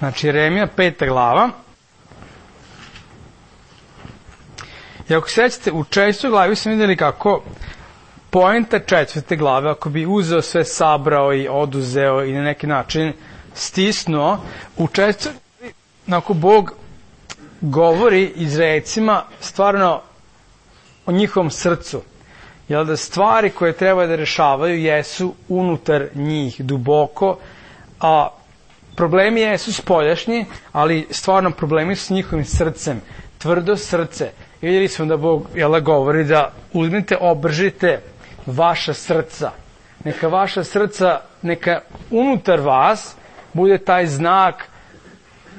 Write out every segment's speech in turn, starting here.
Znači, Jeremija 5. glava. I ako se sećate, u 4. glavi smo vidjeli kako poenta 4. glave, ako bi uzeo sve, sabrao i oduzeo i na neki način stisnuo, u 4. glavi, ako Bog govori Izraelcima stvarno o njihovom srcu. Jer da stvari koje treba da rešavaju jesu unutar njih, duboko, a problemi jesu spoljašnji, ali stvarno problemi su s njihovim srcem, tvrdo srce. I vidjeli smo da Bog govori da uzmite, obržite vaša srca. Neka vaša srca, neka unutar vas bude taj znak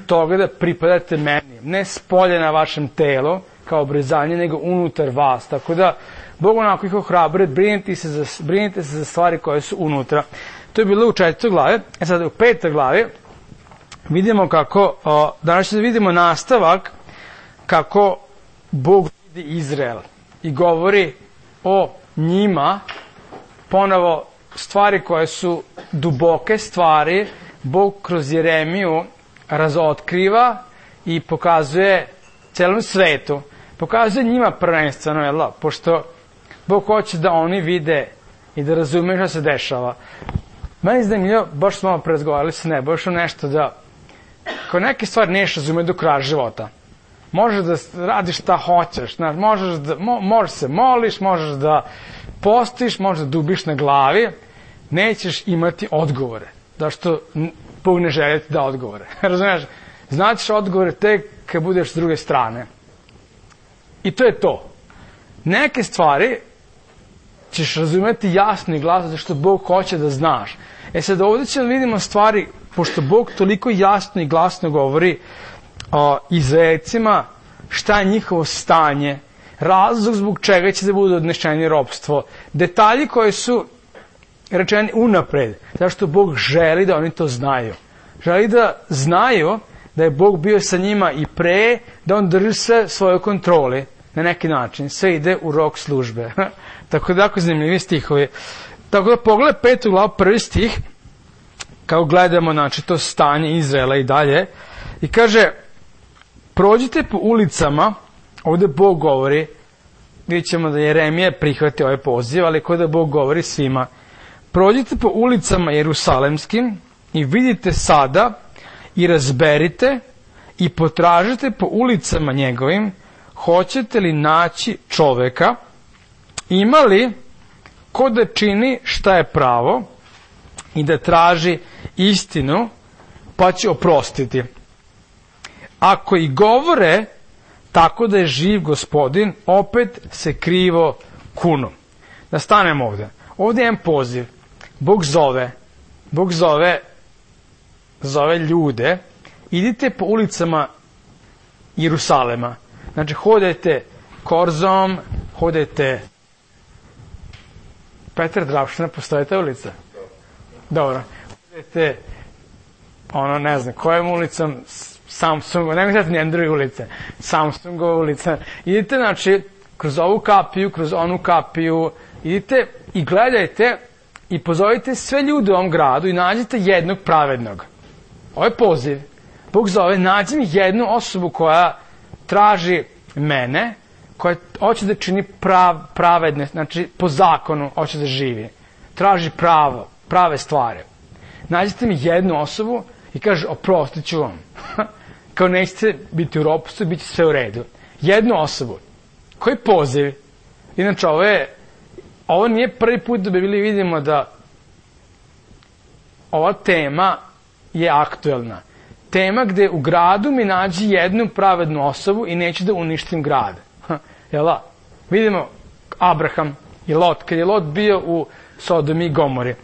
toga da pripadate meni. Ne spolje na vašem telu, kao obrezanje, nego unutar vas. Tako da, Bog onako ih ohrabruje, brinite se za stvari koje su unutra. To je bilo u 4. glavi. Sada u 5. glavi vidimo kako, danas ćemo da vidimo nastavak kako Bog vidi Izrael i govori o njima, ponovo stvari koje su duboke stvari, Bog kroz Jeremiju razotkriva i pokazuje celom svetu, pokazuje njima prvenstveno, pošto Bog hoće da oni vide i da razumeju šta se dešava. Meni je zanimljivo, baš smo malo prezgovarali sa Nebojšom nešto da, kao neke stvari neš razume do kraja života. Možeš da radiš šta hoćeš, možeš se moliš, možeš da postiš, možeš da dubiš na glavi, nećeš imati odgovore. Zašto Bog ne želi ti da odgovore. Razumiješ? Značiš odgovore tek kad budeš s druge strane. I to je to. Neke stvari ćeš razumjeti jasno i glasno zašto Bog hoće da znaš. Sad ovdje ćemo vidimo stvari, pošto Bog toliko jasno i glasno govori o Izraelcima, šta je njihovo stanje, razlog zbog čega će da budu odnešeni ropstvo, detalji koji su rečeni unapred, zašto Bog želi da oni to znaju. Želi da znaju da je Bog bio sa njima i pre, da on drži sve svoje kontrole na neki način. Sve ide u rok službe. Tako da, jako zanimljivi stihovi. Tako da, pogledaj 5. glavu, 1. stih, kao gledamo, znači, to stanje Izraela i dalje, i kaže, prođite po ulicama, ovdje Bog govori, vidjet ćemo da Jeremija prihvati ovaj poziv, ali kod da Bog govori svima, prođite po ulicama Jerusalemskim i vidite sada i razberite i potražite po ulicama njegovim, hoćete li naći čoveka, ima li ko da čini šta je pravo i da traži istinu, pa će oprostiti. Ako i govore tako da je živ Gospodin, opet se krivo kunu. Da stanemo ovdje. Ovdje je jedan poziv. Bog zove ljude, idite po ulicama Jerusalema. Znači, hodajte Korzom, hodajte Petar Drapština, postoje ta ulica? Dobro. Hodajte, ne znam, kojom ulicom, Samsungova, ne mislim nijedne druge ulice, Samsungova ulica. Idite, znači, kroz ovu kapiju, kroz onu kapiju, idite i gledajte i pozovite sve ljude u ovom gradu i nađite jednog pravednog. Ovo je poziv. Bog zove, nađi mi jednu osobu koja traži mene, koja hoće da čini pravedne, znači po zakonu hoće da živi. Traži prave stvari. Nađite mi jednu osobu i kaže, oprostit ću vam. Kao nećete biti u ropstvu, bit će sve u redu. Jednu osobu. Koji poziv? Inače, ovo nije prvi put da vidimo da ova tema je aktuelna. Tema gde u gradu mi nađi jednu pravednu osobu i neću da uništim grad. Jel' vidimo Abraham i Lot. Kad je Lot bio u Sodomi i Gomori,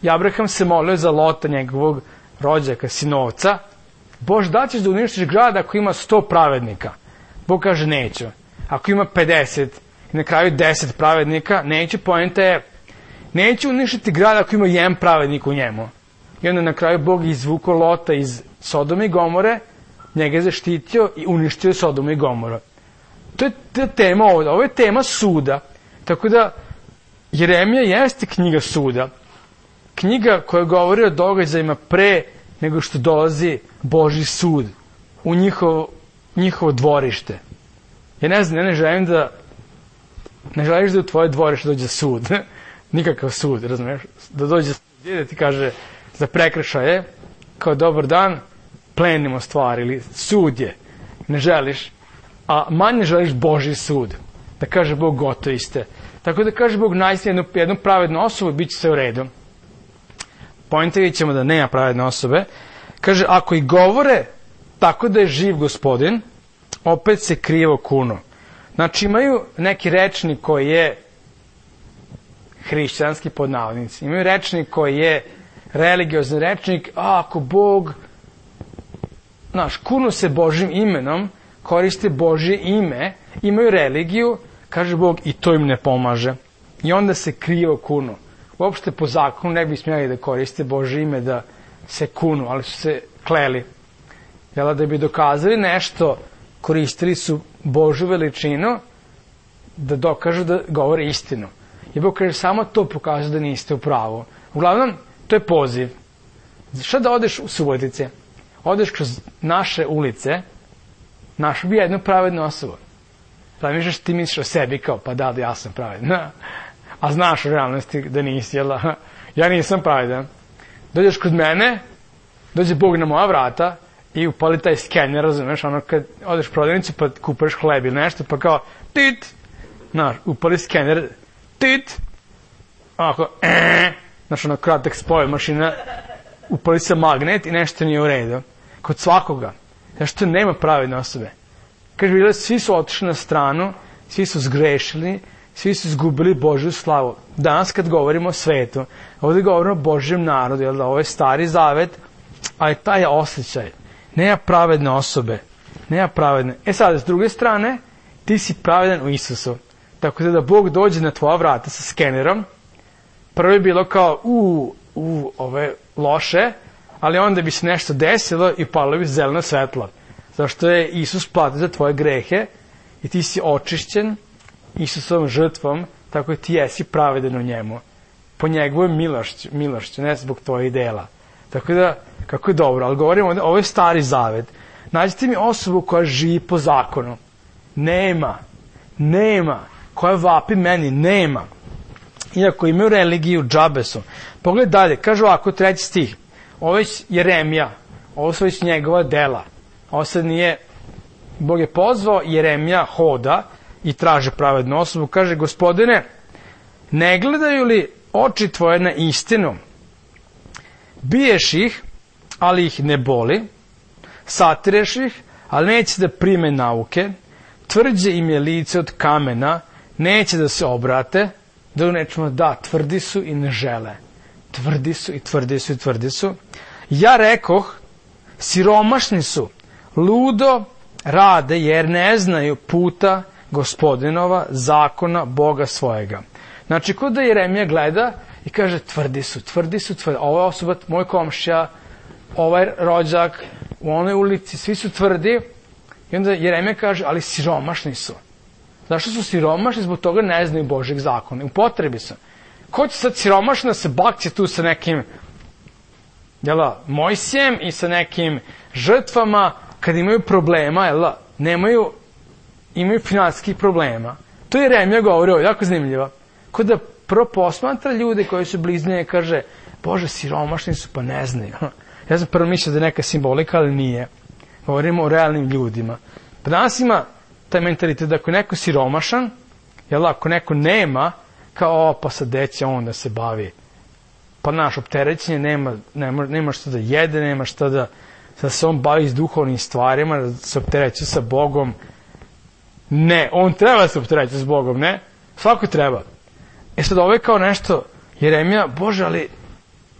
i Abraham se molio za Lota, njegovog rođaka, sinovca, Bože, da ćeš da uništiš grad ako ima 100 pravednika? Bog kaže, neću. Ako ima 50 i na kraju 10 pravednika, neću, poenta je, neću uništiti grad ako ima jedan pravednik u njemu. I onda na kraju Bog izvukao Lota iz Sodome i Gomore, njega je zaštitio i uništio Sodomu i Gomoru. To je tema ovdje. Ovo je tema suda. Tako da Jeremija jeste knjiga suda. Knjiga koja govori o događajima pre nego što dolazi Božji sud u njihovo dvorište. Ja ne znam, ja ne želim da u tvoje dvorište dođe sud. Nikakav sud, razumiješ? Da dođe sud da ti kaže za prekršaje, kao dobar dan, plenimo stvari, ili sud je. Ne želiš, a manje želiš Božji sud. Da kaže Bog gotovi ste. Tako da kaže Bog najsi jednu pravednu osobu, bit će sve u redu. Pointa ćemo da nema pravedne osobe. Kaže, ako i govore tako da je živ Gospodin, opet se krivo kunu. Znači imaju neki rečnik koji je hrišćanski pod navodnici. Imaju rečnik koji je religiozni rečnik, a ako Bog, kunu se Božjim imenom, koriste Božje ime, imaju religiju, kaže Bog, i to im ne pomaže. I onda se krivo kunu. Uopšte po zakonu ne bi smjeli da koriste Božje ime da se kunu, ali su se kleli. Jel, da bi dokazali nešto, koristili su Božju veličinu da dokažu da govore istinu. I Bog kaže, samo to pokazuje da niste u pravu. Uglavnom, to je poziv. Šta da odeš u Subotice? Odeš kroz naše ulice, našao bi jednu pravednu osobu. Zamišljaš, ti misliš o sebi kao, pa da, ja sam pravedan. A znaš u realnosti da nisi, jel? Ja nisam pravedan. Dođeš kod mene, dođe Bog na moja vrata i upali taj skener, razumeš, ono kad odeš u prodavnicu pa kupaš hleb ili nešto, pa kao, tit, upali skener, tit, onako, ono kratak spoj mašina, upali se magnet i nešto nije u redu. Kod svakoga. Zašto nema pravedne osobe? Kaže, svi su otišli na stranu, svi su zgrešili, svi su izgubili Božju slavu. Danas kad govorimo o svetu, ovdje govorimo o Božjem narodu, jer da ovo je stari zavet, ali taj je osjećaj. Nema pravedne osobe. Nema pravedne. Sad, s druge strane, ti si pravedan u Isusu. Tako da Bog dođe na tvoja vrata sa skenerom, prvo je bilo kao, ovo je loše, ali onda bi se nešto desilo i palo bi zeleno svetlo. Zašto je Isus platio za tvoje grehe i ti si očišćen Isusovom žrtvom, tako da ti jesi pravedan u njemu. Po njegovoj milošću, ne zbog tvojih dela. Tako da, kako je dobro, ali govorimo ovdje, ovo je stari zavet. Nađite mi osobu koja živi po zakonu. Nema. Koja vapi meni, nema. Iako imaju religiju, džabe su. Pogledaj dalje, kaže ovako, 3. stih. Ovo je Jeremija, ovo su već njegova dela. Ovo sad nije, Bog je pozvao, Jeremija hoda i traže pravednu osobu. Kaže, Gospodine, ne gledaju li oči tvoje na istinu? Biješ ih, ali ih ne boli. Satireš ih, ali neće da prime nauke. Tvrđe im je lice od kamena, neće da se obrate. Da nečemo, tvrdi su i ne žele. Tvrdi su. Ja rekoh, siromašni su, ludo rade jer ne znaju puta Gospodinova, zakona Boga svojega. Znači, kod da Jeremija gleda i kaže, tvrdi su. Ova osoba, moj komšija, ovaj rođak, u onoj ulici, svi su tvrdi. I onda Jeremija kaže, ali siromašni su. Zašto su siromašni? Zbog toga ne znaju Božjeg zakona. U potrebi su. Ko će sad siromašno da se bakće tu sa nekim Mojsijem i sa nekim žrtvama kad imaju problema, imaju finansijskih problema. To je Jeremija govorio, jako zanimljivo. Ko da prvo posmatra ljude koji su bliznije i kaže, Bože, siromašni su, pa ne znaju. Ja sam prvo mislio da je neka simbolika, ali nije. Govorimo o realnim ljudima. Pa danas ima taj mentalitet da ako je neko siromašan, ako neko nema, kao, pa sad deće on da se bavi. Pa opterećenje, nema što da jede, nema što da se on bavi s duhovnim stvarima, da se optereće sa Bogom. Ne, on treba da se optereće s Bogom, ne? Svako treba. Sad ovo je kao nešto, Jeremija, Bože, ali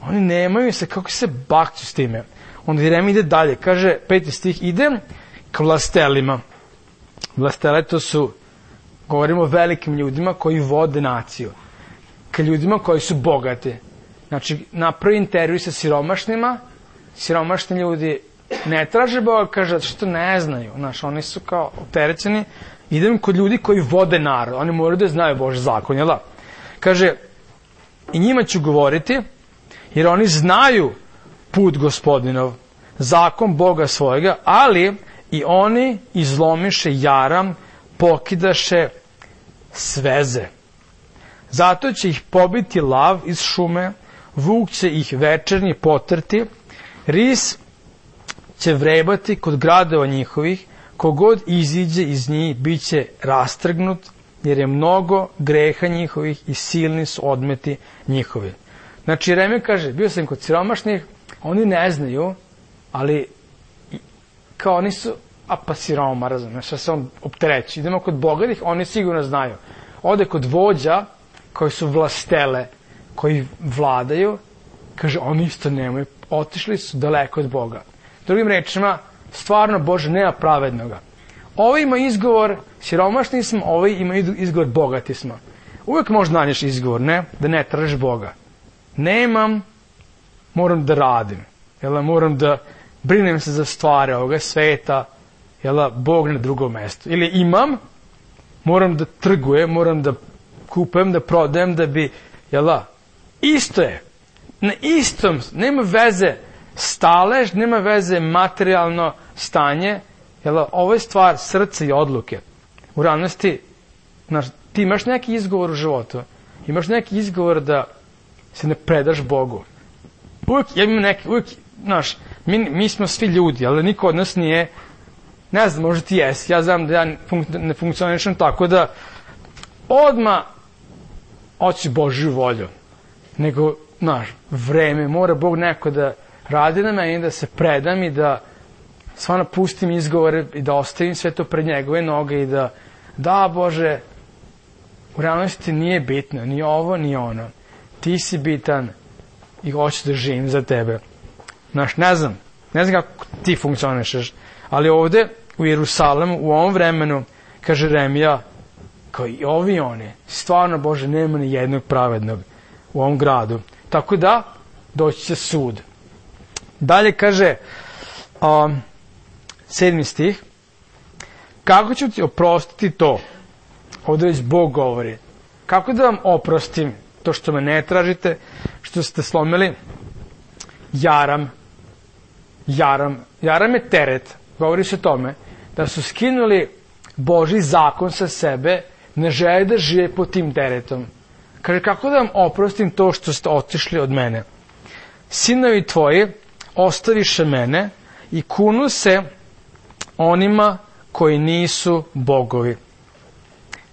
oni nemaju se, kako se bakću s time? Onda Jeremija ide dalje, kaže, 5. stih, idem k vlastelima. Vlastele to su, govorimo o velikim ljudima koji vode naciju. Ka ljudima koji su bogati. Znači, napravi intervju sa siromašnima, siromašni ljudi ne traže Boga, kaže, što ne znaju. Oni su kao opterećeni. Idem kod ljudi koji vode narod. Oni moraju da znaju Božji zakon, jel da? Kaže, i njima ću govoriti, jer oni znaju put Gospodinov, zakon Boga svojega, ali i oni izlomiše jaram, pokidaše sveze. Zato će ih pobiti lav iz šume, vuk će ih večernji potrti, ris će vrebati kod gradova njihovih, kogod iziđe iz njih bit će rastrgnut, jer je mnogo greha njihovih i silni su odmeti njihovi. Znači, Jeremija kaže, bio sam kod siromašnih, oni ne znaju, ali kao oni su, pa siroma, razumiješ, šta se on optereći. Idemo kod bogatih, oni sigurno znaju. Ode kod vođa, koji su vlastele, koji vladaju, kaže, oni isto nemaju, otišli su daleko od Boga. Drugim rečima, stvarno, Bože, nema pravednoga. Ovi ima izgovor, siromašni smo, ovi ima izgovor, bogati smo. Uvijek možeš nađeš izgovor, ne? Da ne tražiš Boga. Nemam, moram da radim. Moram da brinem se za stvari ovoga sveta, Bog na drugom mestu. Ili imam, moram da trgujem, moram da kupujem, da prodajem, da bi, isto je. Na istom, nema veze stalež, nema veze materijalno stanje, ovo je stvar srca i odluke. U realnosti, ti imaš neki izgovor u životu, imaš neki izgovor da se ne predaš Bogu. Mi smo svi ljudi, ali niko od nas nije, ne znam, možda ti jesi, ja znam da ja ne funkcionišem tako da odmah hoću Božju volju, nego, vreme, mora Bog neko da radi na meni, da se predam i da stvarno pustim izgovore i da ostavim sve to pred njegove noge i da, Bože, u realnosti nije bitno, ni ovo, ni ono. Ti si bitan i hoću da živim za tebe. Ne znam kako ti funkcionišeš, ali ovde u Jerusalemu, u ovom vremenu, kaže Jeremija, kao i ovi i oni, stvarno, Bože, nema ni jednog pravednog u ovom gradu. Tako da, doći će sud. Dalje kaže, 7. stih, kako ću ti oprostiti to? Ovdje već Bog govori. Kako da vam oprostim to što me ne tražite, što ste slomili jaram je teret. Govori se o tome da su skinuli Božji zakon sa sebe, ne žele da žive pod tim teretom. Kaže, kako da vam oprostim to što ste otišli od mene? Sinovi tvoji ostaviše mene i kunu se onima koji nisu bogovi.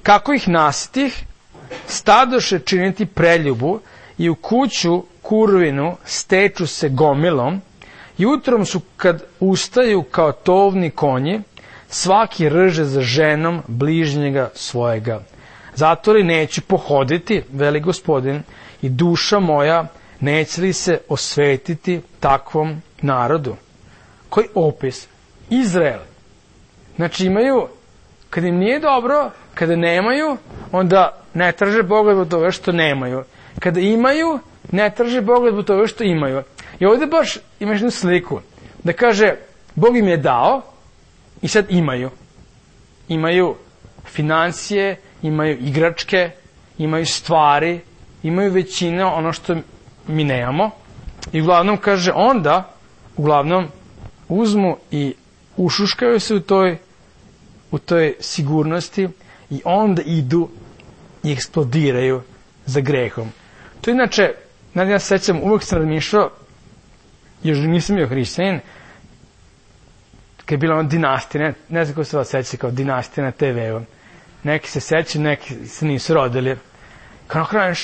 Kako ih nasitih, stadoše činiti preljubu i u kuću kurvinu steču se gomilom, jutrom su kad ustaju kao tovni konji, svaki rže za ženom bližnjega svojega. Zato li neću pohoditi, veli Gospodin, i duša moja neće li se osvetiti takvom narodu? Koji opis? Izrael. Znači imaju, kad im nije dobro, kada nemaju, onda ne traže Boga zbog toga što nemaju. Kada imaju, ne traže Boga zbog toga što imaju. I ovdje baš imaš jednu sliku, da kaže, Bog im je dao i sad imaju. Imaju financije, imaju igračke, imaju stvari, imaju većina ono što mi nemamo. I uglavnom kaže, onda, uzmu i ušuškaju se u toj sigurnosti i onda idu i eksplodiraju za grehom. To inače, ja se sećam, uvijek sam razmišljao, još nisam bio hrišćanin, kad je bila ona dinastija, ne znam ko se vas seća kao dinastija na TV-u. Neki se sećaju, neki se nisu rodili. Kao na kraju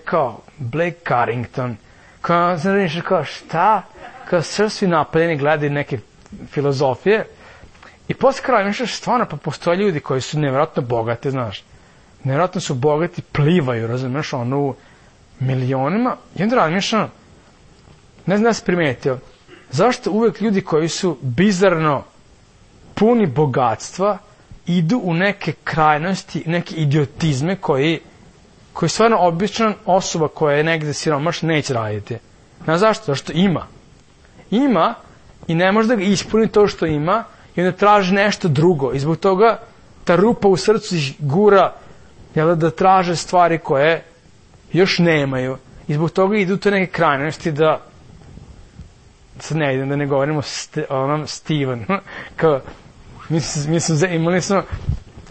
kao Blake Carrington, kao sam razmišljao, kao šta? Kao svi napaljeni gledaju neke filozofije. I posle kraja razmišljaš, stvarno, pa postoje ljudi koji su nevjerojatno bogati, znaš. Nevjerojatno su bogati, plivaju, razumiješ, u milionima. I onda razmišljam, ne znam da si primetio, zašto uvek ljudi koji su bizarno puni bogatstva idu u neke krajnosti, neke idiotizme koji stvarno obična osoba koja je negde siromašna neće raditi. Znaš zašto? Zašto ima. Ima i ne može da ga ispuni to što ima i onda traži nešto drugo. I zbog toga ta rupa u srcu ih gura da traže stvari koje još nemaju. I zbog toga idu te neke krajnosti da sad ne idem da ne govorimo onom Steven, kao, mislim, imali smo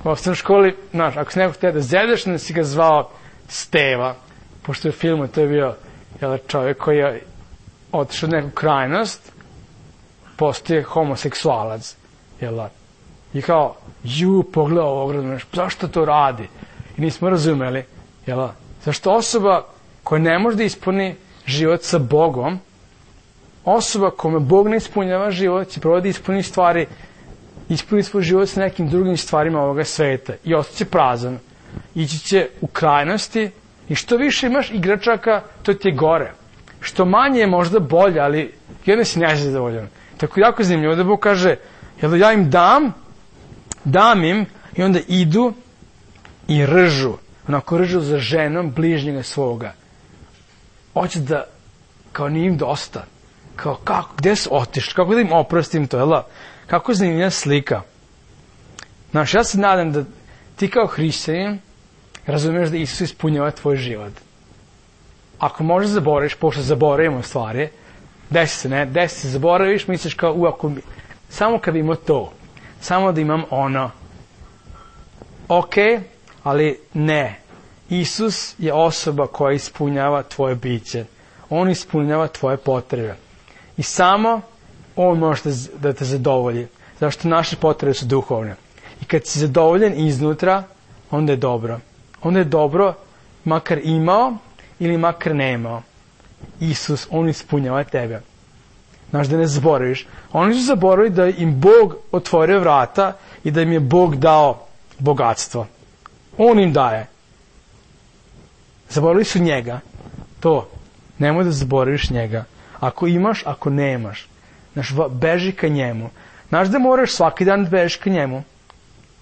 u osnovnoj školi, znaš, ako si nekog htio da zedeš, onda si ga zvao Steva, pošto je u filmu to je bio čovjek koji je otišao u neku krajnost, postoje homoseksualac, i kao, pogledaj ovog, zašto to radi? I nismo razumeli, zašto osoba koja ne može da ispuni život sa Bogom, osoba kome Bog ne ispunjava život, će probati da ispuni svoj život sa nekim drugim stvarima ovoga sveta i ostaće prazan. Ići će u krajnosti i što više imaš igračaka, to ti je gore. Što manje je možda bolje, ali jedno si nezadovoljan. Tako jako zanimljivo da Bog kaže, ja im dam im i onda idu i ržu. Onako ržu za ženom bližnjega svoga. Hoće da, kao nije im dosta. Kao, kako, gde su otišli? Kako da im oprostim to, Kako zanimljiva slika. Znaš, ja se nadam da ti kao hrišćanin razumiješ da Isus ispunjava tvoj život. Ako možeš zaboraviš, pošto zaboravimo stvari, desi se, zaboraviš, misliš kao, samo kad imam to, samo da imam ono. Ok, ali ne. Isus je osoba koja ispunjava tvoje biće. On ispunjava tvoje potrebe. I samo on može da te zadovolji. Zašto naše potrebe su duhovne. I kad si zadovoljen iznutra, onda je dobro. Onda je dobro, makar imao ili makar nemao. Isus, on ispunjava tebe. Znaš, da ne zaboraviš. Oni su zaboravili da im Bog otvorio vrata i da im je Bog dao bogatstvo. On im daje. Zaboravili su njega. To. Nemoj da zaboraviš njega. Ako imaš, ako nemaš. Znaš, beži ka njemu. Znaš da moraš svaki dan da bežiš ka njemu.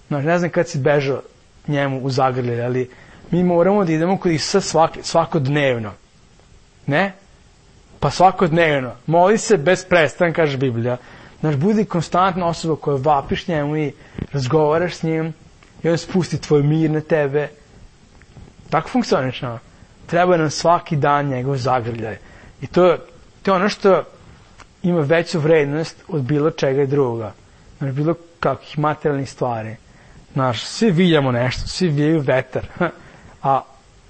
Znaš, ne znam kad si bežao njemu u zagrlje, ali mi moramo da idemo kod Isusa svakodnevno. Ne? Pa svakodnevno. Moli se bez prestanka, kaže Biblija. Znaš, budi konstantna osoba koja vapiš njemu i razgovaraš s njim i on spusti tvoj mir na tebe. Tako funkcioniš, no? Treba nam svaki dan njegov zagrljaj. I to je ono što ima veću vrednost od bilo čega drugoga. Znaš, bilo kakvih materijalnih stvari. Znaš, svi viljamo nešto, svi vijaju vetar. A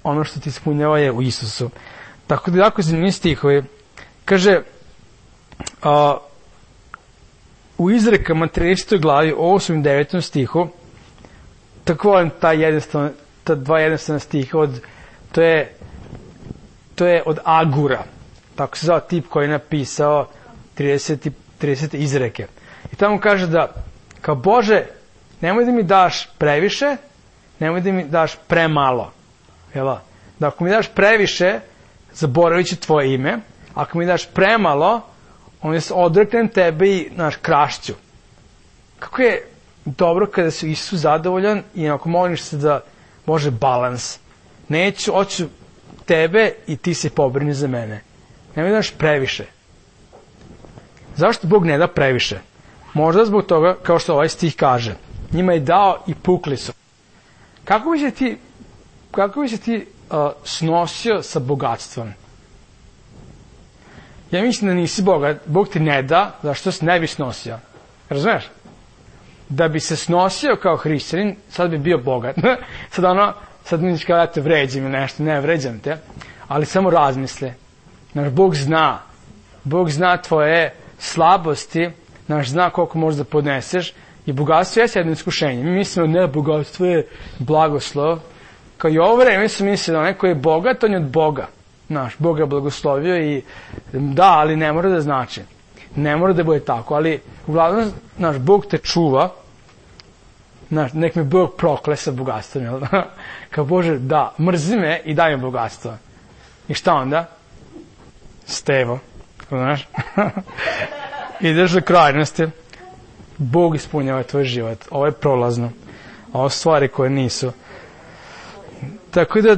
ono što ti ispunjava je u Isusu. Tako da jako zanimljivi stihovi. Kaže, u izrekama 30. glavi, 8. i 9. stihu, tako volim ta dva jednostavna stiha, to je od Agura. Tako se zove tip koji je napisao 30 izreke. I tamo kaže da, kao Bože, nemoj da mi daš previše, nemoj da mi daš premalo. Da ako mi daš previše, zaboravit ću tvoje ime, ako mi daš premalo, onda se odreknem tebe i, krašću. Kako je dobro kada si Isus zadovoljan i ako moliš se da može balans. Hoću tebe i ti se pobrini za mene. Nemoj da daš previše. Zašto Bog ne da previše? Možda zbog toga, kao što ovaj stih kaže, njima je dao i pukli su. Kako bi se ti snosio sa bogatstvom? Ja mislim da nisi bogat, Bog ti ne da, zašto se ne bi snosio. Razumeš? Da bi se snosio kao hrišćanin, sad bi bio bogat. Sad mi ćeš kao da te vređam ili nešto, ne vređam te, ali samo razmisli. Naš Bog zna tvoje slabosti, zna koliko možeš da podneseš i bogatstvo je jedno iskušenje. Mi mislimo, ne, bogatstvo je blagoslov. Kao i ovo vreme su mislili, onaj koji je bogat, on je od Boga. Bog je blagoslovio i da, ali ne mora da znači. Ne mora da bude tako, ali uglavnom, Bog te čuva, nek me Bog prokle sa bogatstvom, jel da? Kao Bože, da, mrzi me i daj mi bogatstvo. I šta onda? Stevo, znaš? Ideš do krajnosti, Bog ispunjava tvoj život. Ovo je prolazno. Ovo stvari koje nisu. Tako da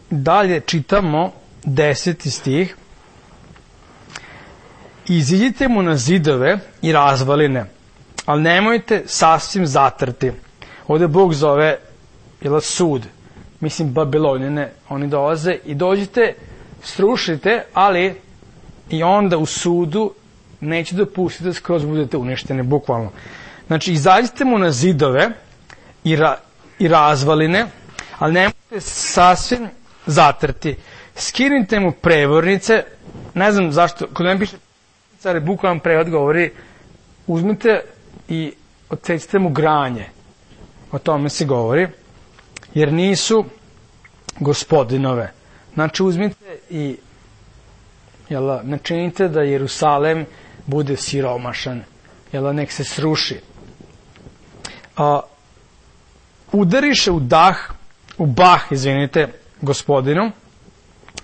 dalje čitamo 10. stih. Iziđite mu na zidove i razvaline, ali nemojte sasvim zatrti. Ovdje Bog zove sud. Mislim, Babilonjane, oni dolaze i dođite srušite, ali i onda u sudu neće dopustiti da skroz budete uništeni, bukvalno. Znači, izađite mu na zidove i razvaline, ali nemojte sasvim zatrti. Skinite mu prevornice, ne znam zašto, kod mene piše, ali bukvalan prevod govori, uzmite i odsecite mu granje. O tome se govori, jer nisu gospodinove. Znači, uzmite i načinite da Jerusalem bude siromašan, nek se sruši. Udariše u bah, gospodinu,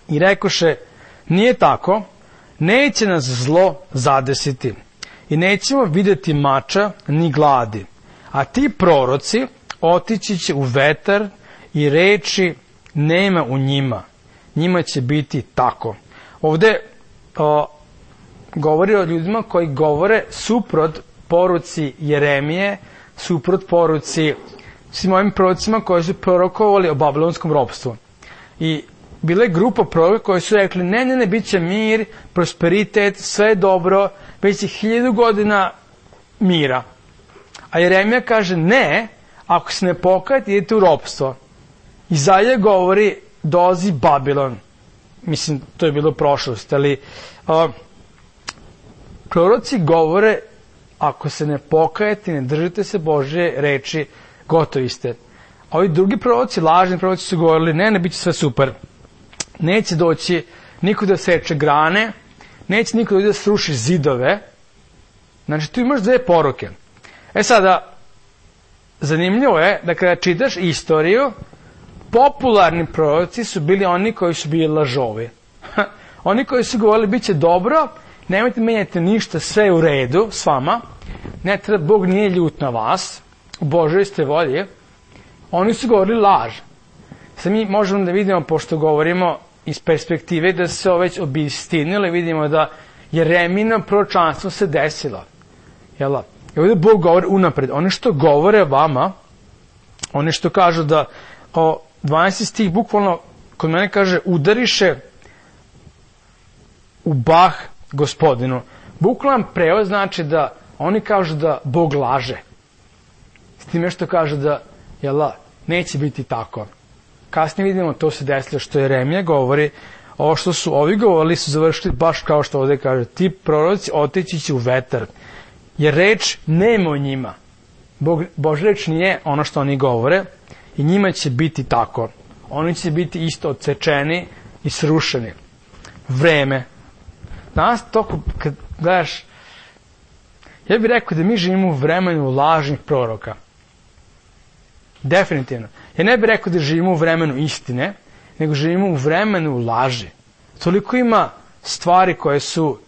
i rekoše, nije tako, neće nas zlo zadesiti i nećemo vidjeti mača ni gladi, a ti proroci otići će u vetar i reči nema u njima, njima će biti tako. Ovde govori o ljudima koji govore suprot poruci Jeremije, suprot poruci svim ovim prorocima koji su prorokovali o babilonskom ropstvu. I bila je grupa proroka koji su rekli, ne, bit će mir, prosperitet, sve je dobro, već je 1000 godina mira. A Jeremija kaže, ne, ako se ne pokajete, idete u ropstvo. Izaja govori, dolazi Babilon. Mislim, to je bilo prošlost, ali proroci govore, ako se ne pokajete, ne držite se Božje reči, gotovi ste. A ovi drugi proroci, lažni proroci su govorili, ne, bit će sve super. Neće doći niko da seče grane, neće niko da sruši zidove. Znači, tu imaš dve poruke. Sada, zanimljivo je da kada čitaš istoriju, popularni proroci su bili oni koji su bili lažovi. Oni koji su govorili, bit će dobro, nemojte menjati ništa, sve je u redu s vama, ne treba, Bog nije ljut na vas, u Božoj ste volji. Oni su govorili laž. Sad mi možemo da vidimo, pošto govorimo iz perspektive da se ovo već obistinilo, vidimo da Jeremino proročanstvo se desilo. I ovdje Bog govori unapred. Oni što govore vama, oni što kažu da 12. stih bukvalno kod mene kaže udariše u bah gospodinu. Bukvalan prevod znači da oni kažu da Bog laže. S time što kažu da neće biti tako. Kasnije vidimo, to se desilo što Jeremija govori, ovo što su ovi govorili su završili baš kao što ovdje kaže, ti proroci otići će u vetar, jer reč nema u njima. Božja reč nije ono što oni govore i njima će biti tako. Oni će biti isto odsečeni i srušeni. Vreme. Danas toliko, kad gledaš, ja bih rekao da mi živimo u vremenu lažnih proroka. Definitivno. Ja ne bih rekao da živimo u vremenu istine, nego živimo u vremenu laži. Toliko ima stvari koje su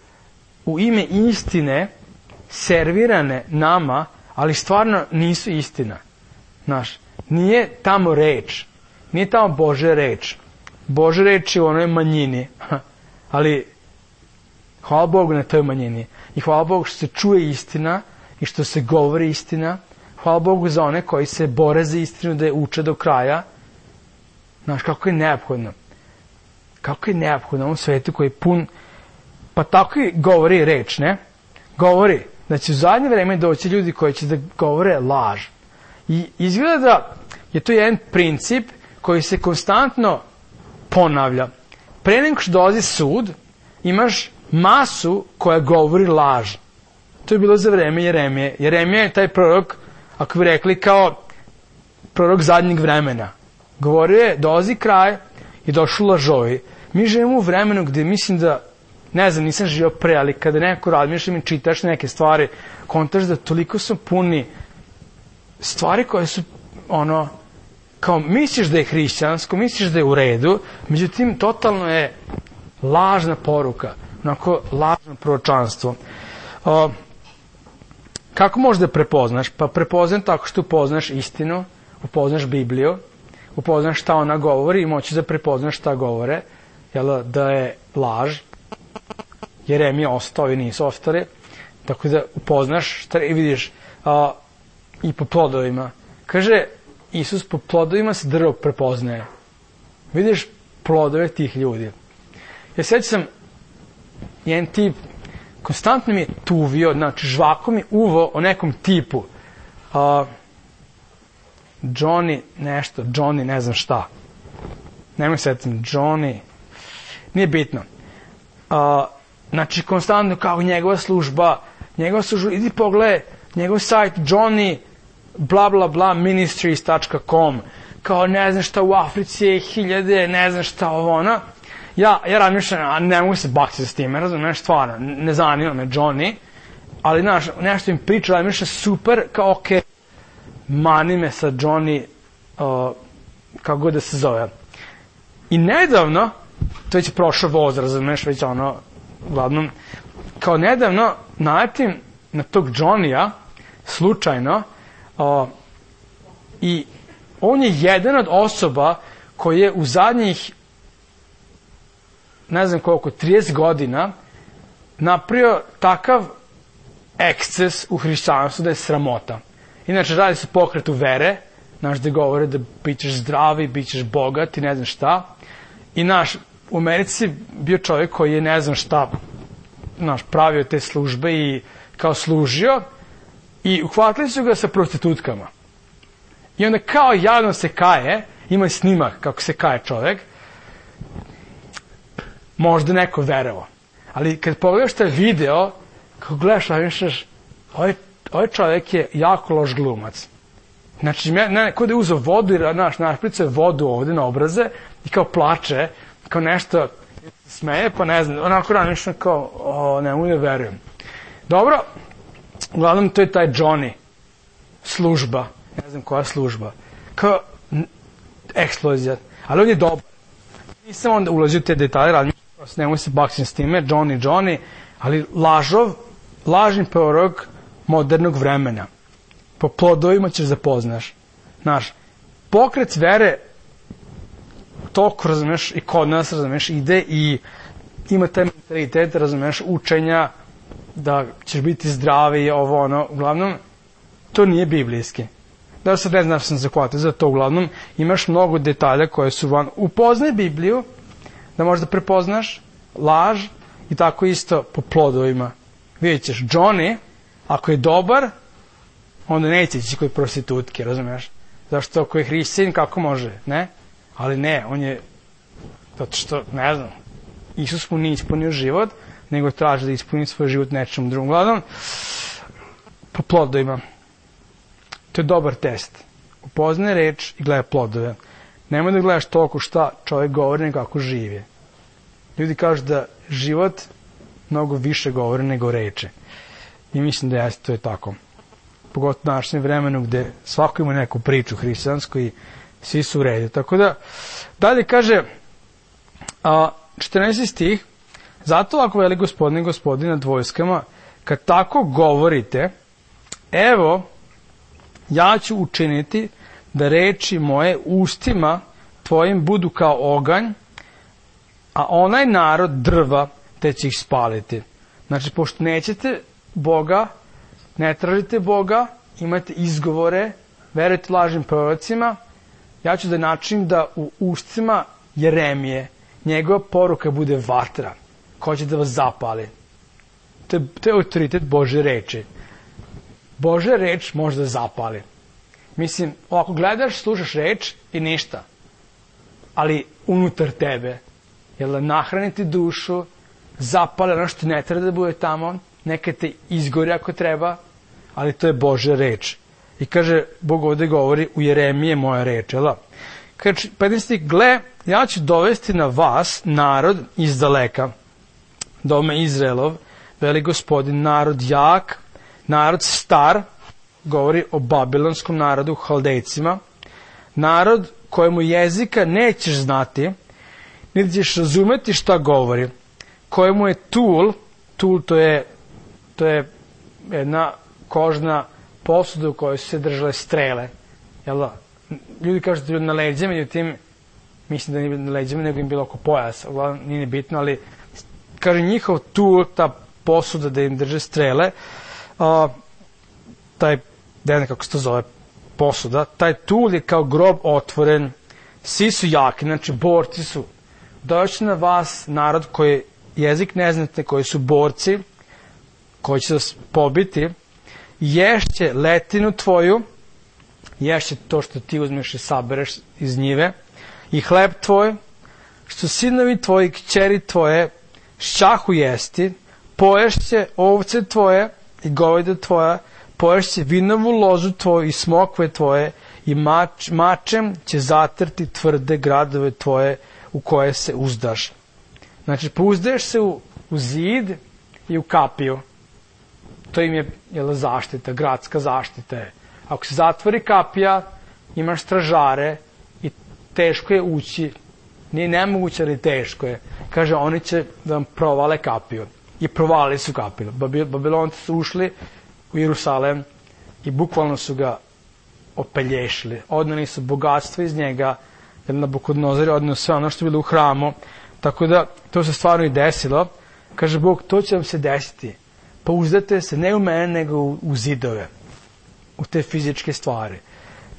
u ime istine servirane nama, ali stvarno nisu istina. Znaš, nije tamo reč, nije tamo Božja reč. Božja reč je u onoj manjini, ali hvala Bogu na toj manjini. I hvala Bogu što se čuje istina i što se govori istina. Hvala Bogu za one koji se bore za istinu da je uče do kraja. Znaš, kako je neophodno. Kako je neophodno u ovom svetu koji je pun, pa tako i govori reč, ne? Govori da će u zadnje vreme doći ljudi koji će da govore laž. I izgleda da je to jedan princip koji se konstantno ponavlja. Pre nego što dolazi sud, imaš masu koja govori laž. To je bilo za vreme Jeremije. Jeremija je taj prorok, ako bi rekli, kao prorok zadnjeg vremena. Govorio je, dolazi kraj i došli lažovi. Mi živimo u vremenu gdje mislim da, ne znam, nisam živio pre, ali kada neko razmišljam i čitaš neke stvari, kontaš da toliko su puni stvari koje su, kao misliš da je hrišćansko, misliš da je u redu, međutim, totalno je lažna poruka, onako lažno proročanstvo. Kako možeš da prepoznaš? Pa prepoznam tako što upoznaš istinu, upoznaš Bibliju, upoznaš šta ona govori i moći da prepoznaš šta govore, da je laž. Jeremija ostao i nisu ostali, tako da upoznaš šta i vidiš i po plodovima. Kaže Isus, po plodovima se drvo prepoznaje. Vidiš plodove tih ljudi. Ja sećam, jedan tip konstantno mi je tuvio, znači žvako mi uvo o nekom tipu. Johnny nešto, Johnny ne znam šta. Nemoj sećam, Johnny, nije bitno. Znači, konstantno kao njegova služba, idi pogledaj, njegov sajt, Johnny, bla bla bla, ministries.com, kao ne znam šta u Africi je 1000, ne znam šta ovo ono. Ja razmišljam, a ne mogu se bakti s time, razumiješ, stvarno, ne zanima me Johnny, ali znaš, nešto im priča, razmišljam, super, kao okej, mani me sa Johnny, kako god da se zove. I nedavno, to već je prošao voz, razumiješ, već ono, uglavnom, kao nedavno naletim na tog Johnny-a, slučajno, i on je jedan od osoba koji je u zadnjih, ne znam koliko, 30 godina napravio takav eksces u hrišćanstvu da je sramota. Inače, radi se pokretu vere, znaš, da govore da bit ćeš zdravi, bit ćeš bogat i ne znam šta. I naš, u Americi bio čovjek koji je ne znam šta, naš, pravio te službe i kao služio i uhvatili su ga sa prostitutkama. I onda kao javno se kaje, ima snimak kako se kaje čovjek, možda neko verovo. Ali kad pogledaš taj video, kako gledaš, razmišljaš, ovaj čovjek je jako loš glumac. Znači, kod je uzeo vodu i našpricao vodu ovde na obraze i kao plače, kao nešto smeje, pa ne znam, onako razmišljam kao, ne mogu da verujem. Dobro, uglavnom to je taj Johnny, služba, ne znam koja služba, kao eksplozija, ali on je dobar. Nisam onda ulazio u te detalje, razmišljam, nemoj se baksim s time, Johnny, ali lažni prorok modernog vremena. Po plodovima ćeš zapoznaš. Znaš, pokret vere toliko, razumeš, i kod nas, razumeš, ide i ima taj mentalitet, razumeš, učenja da ćeš biti zdravi i ovo, ono, uglavnom, to nije biblijski. Da sad ne znaš sam zakvatio za to, uglavnom, imaš mnogo detalja koje su van. Upoznaj Bibliju, da možda prepoznaš laž i tako isto po plodovima. Vidjet ćeš, Johnny, ako je dobar, onda neće ići kod prostitutke, razumiješ? Zašto ako je hrišćanin, kako može, ne? Ali ne, on je, zato što, ne znam, Isus mu nije ispunio život, nego traži da ispuni svoj život nečemu drugom. Gledam, po plodovima. To je dobar test. Upoznaj reč i gledaj plodove. Nemoj da gledaš toliko šta čovjek govori nego kako živi. Ljudi kažu da život mnogo više govori nego reče. I mislim da to je tako. Pogotovo u današnjem vremenu gde svako ima neku priču hrišćansku i svi su u redu. Tako da, dalje kaže 14. stih, zato ako veli gospodin nad vojskama, kad tako govorite, evo, ja ću učiniti da reči moje ustima tvojim budu kao oganj, a onaj narod drva, te će ih spaliti. Znači, pošto nećete Boga, ne tražite Boga, imate izgovore, verujete lažnim prorocima, ja ću da načinim da u ustima Jeremije njegova poruka bude vatra, koja će da vas zapali. To je autoritet Božje reči. Božja reč može da zapali. Mislim, ovako gledaš, slušaš reč i ništa. Ali unutar tebe, jel da nahraniti dušu, zapale ono što ne treba da bude tamo, neka te izgori ako treba, ali to je Božja reč. I kaže, Bog ovde govori, u Jeremije moja reč, jel da? Kaže, 15. gle, ja ću dovesti na vas narod iz daleka, dome Izraelov, veli gospodin, narod jak, narod star, govori o babilonskom narodu, Haldejcima, narod kojemu jezika nećeš znati, niti ćeš razumeti šta govori, kojemu je tul to je jedna kožna posuda u kojoj su se držale strele. Jel da? Ljudi kažu da je na leđima, međutim, mislim da nije na leđima, nego im bilo oko pojasa. Uglavnom, nije bitno, ali kaže njihov tul, ta posuda da im drže strele, taj, ne znam kako se to zove, posuda, taj tul je kao grob otvoren, svi su jaki, znači borci su doći na vas narod koji jezik ne znate, koji su borci, koji će vas pobiti, ješće letinu tvoju, ješće to što ti uzmeš i sabereš iz njive, i hleb tvoj, što sinovi tvoji, kćeri tvoje, šćahu jesti, poješće ovce tvoje i goveda tvoja, poješće vinovu lozu tvoju i smokve tvoje, i mačem će zatrti tvrde gradove tvoje u koje se uzdaš. Znači, pouzdaješ se u zid i u kapiju. To im je zaštita, gradska zaštita je. Ako se zatvori kapija, imaš stražare i teško je ući. Nije nemoguće, ali teško je. Kaže, oni će da vam provale kapiju. I provalili su kapiju. Babilonci su ušli u Jerusalem i bukvalno su ga opelješili. Odneli su bogatstvo iz njega, jer Nabukodonozor je odneo sve ono što je bilo u hramu. Tako da, to se stvarno i desilo. Kaže Bog, to će vam se desiti. Pouzdate se ne u mene, nego u zidove. U te fizičke stvari.